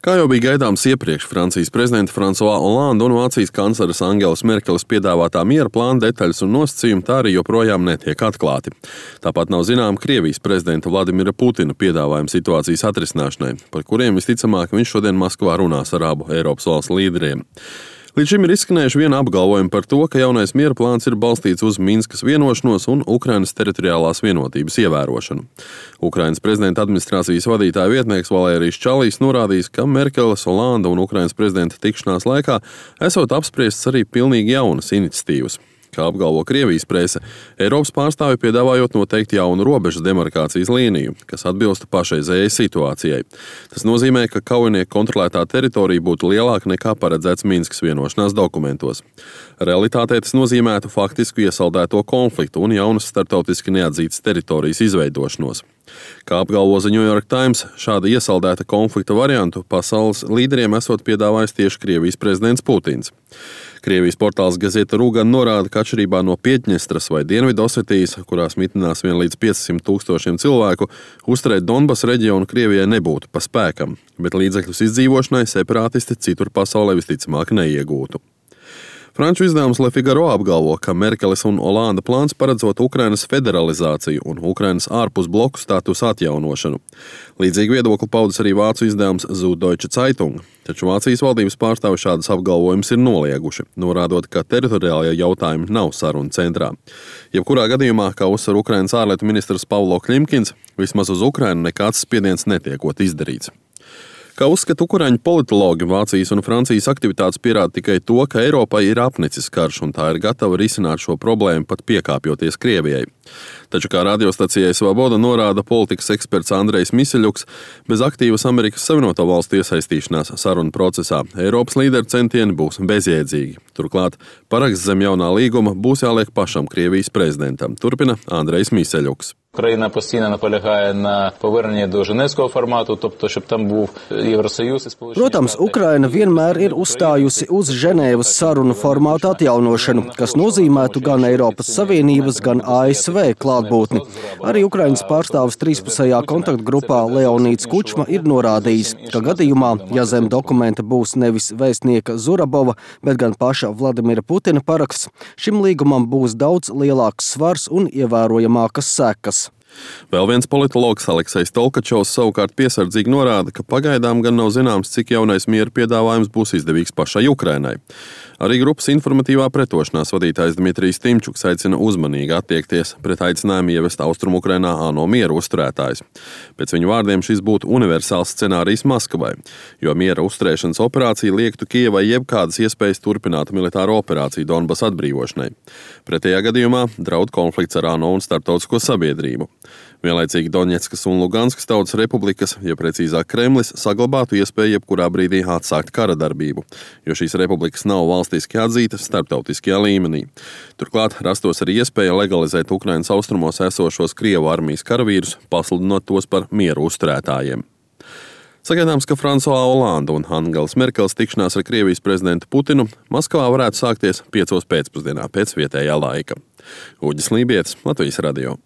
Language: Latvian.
Kā jau bija gaidāms iepriekš, Francijas prezidenta François Hollande un Vācijas kancleres Angelas Merkeles piedāvātā miera plāna detaļas un nosacījumi tā arī joprojām netiek atklāti. Tāpat nav zinām Krievijas prezidenta Vladimira Putina piedāvājumi situācijas atrisināšanai, par kuriem visticamāk viņš šodien Maskavā runās ar abu Eiropas valstu līderiem. Līdz šim ir izskanējuši viena apgalvojuma par to, ka jaunais miera plāns ir balstīts uz Minskas vienošanos un Ukrainas teritoriālās vienotības ievērošanu. Ukrainas prezidenta administrācijas vadītāja vietnieks Valērijas Čalijs norādījis, ka Merkeles, Hollanda un Ukrainas prezidenta tikšanās laikā esot apspriestas arī pilnīgi jaunas iniciatīvas. Kā apgalvo Krievijas prese, Eiropas pārstāvi piedāvājot noteikti jaunu robežas demarkācijas līniju, kas atbilstu pašreizējai situācijai. Tas nozīmē, ka kaujinieku kontrolētā teritorija būtu lielāka nekā paredzēts Minskas vienošanās dokumentos. Realitātē tas nozīmētu faktisku iesaldēto konfliktu un jaunas starptautiski neatzītas teritorijas izveidošanos. Kā apgalvo The New York Times, šāda iesaldēta konflikta variantu pasaules līderiem esot piedāvājis tieši Krievijas prezidents Putins. Krievijas portāls Gazeta Rugan norāda, ka atšķirībā no Pietņestras vai Dienvidosetijas, kurās mitinās vien līdz 500 000 cilvēku, uzturēt Donbas reģionu Krievijai nebūtu pa spēkam, bet līdzekļus izdzīvošanai separātisti citur pasaulē visticamāk neiegūtu. Franču izdevums Le Figaro apgalvo, ka Merkeles un Hollanda plāns paredzot Ukrainas federalizāciju un Ukrainas ārpus bloku statusu atjaunošanu. Līdzīgi viedokli paudis arī vācu izdevums Süddeutsche Zeitung, taču Vācijas valdības pārstāvi šādas apgalvojumus ir nolieguši, norādot, ka teritoriālie jautājumi nav sarunu centrā. Jebkurā gadījumā, kā uzsver Ukrainas ārlietu ministrs Pavlo Klimkins, vismaz uz Ukrainu nekāds spiediens netiekot izdarīts. Kā uzskata ukraiņu politologi, Vācijas un Francijas aktivitātes pierāda tikai to, ka Eiropai ir apnicis karš un tā ir gatava risināt šo problēmu pat piekāpjoties Krievijai. Taču, kā radiostacijai Svaboda norāda politikas eksperts Andrejs Miseļuks, bez aktīvas Amerikas Savienoto Valstu iesaistīšanās sarunu procesā Eiropas līderu centieni būs bezjēdzīgi. Turklāt, paraksts zem jaunā līguma būs jāliek pašam Krievijas prezidentam, turpina Andrejs Miseļuks. Україна постійно наполягає на поверненні до Ženēvskого формату, тобто, щоб там був Євросоюз і Сполучені Штати. Protams, Ukraina vienmēr ir uzstājusi uz Ženēvas sarunu formātu atjaunošanu, kas nozīmētu gan Eiropas Savienības, gan ASV klātbūtni. Arī Ukrainas pārstāvis trīspusējā kontaktgrupā Leonīds Kučma ir norādījis, ka gadījumā, ja zem dokumenta būs nevis vēstnieka Zurabova, bet gan paša Vladimira Putina paraksts, šim līgumam būs daudz lielāks svars un ievērojamākas sekas. Vēl viens politologs Aleksejs Tolkačovs savukārt piesardzīgi norāda, ka pagaidām gan nav zināms, cik jaunais miera piedāvājums būs izdevīgs pašai Ukrainai. Arī grupas informatīvā pretošanās vadītājs Dmitrijs Timčuks aicina uzmanīgi attiekties pret aicinājumu ievest Austrumu Ukrainā ANO miera uzturētājus. Pēc viņu vārdiem šis būtu universāls scenārijs Maskavai, jo miera uzturēšanas operācija liektu Kijevai jebkādas iespējas turpināt militāro operāciju Donbas atbrīvošanai. Pretējā gadījumā draud konflikts ar ANO un starptautisko sabiedrību. Vienlaicīgi Doņetskas un Luganskas tautas republikas, ja precīzāk Kremlis, saglabātu iespēju jebkurā brīdī atsākt kara darbību, jo šīs republikas nav valstiski atzītas starptautiskajā līmenī. Turklāt rastos arī iespēja legalizēt Ukrainas austrumos esošos Krievu armijas karavīrus, pasludinot tos par mieru uzturētājiem. Sagaidāms, ka François Hollande un Angelas Merkeles tikšanās ar Krievijas prezidentu Putinu Maskavā varētu sākties 5 pēcpusdienā pēc vietējā laika. Uģis Lībietis, Latvijas radio.